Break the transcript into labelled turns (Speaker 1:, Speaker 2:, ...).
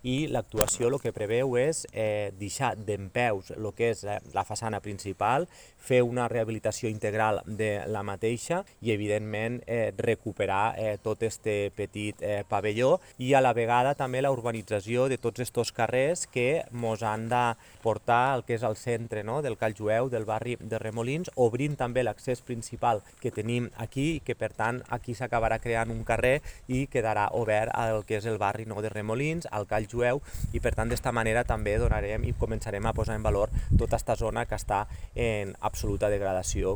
Speaker 1: i l'actuació el que preveu és deixar dempeus el que és la façana principal, fer una rehabilitació integral de la mateixa i, evidentment, recuperar tot este petit pavelló i a la vegada també la urbanització de tots estos carrers que mos han de portar al que és el centre, no?, del Cal Jueu, del barri de Remolins, obrint també l'accés principal que tenim aquí i que, per tant, aquí s'acabarà creant un carrer i quedarà obert al que és el barri, no?, de Remolins, al Cal Jueu, i per tant d'esta manera també donarem i començarem a posar en valor tota esta zona que està en absoluta degradació.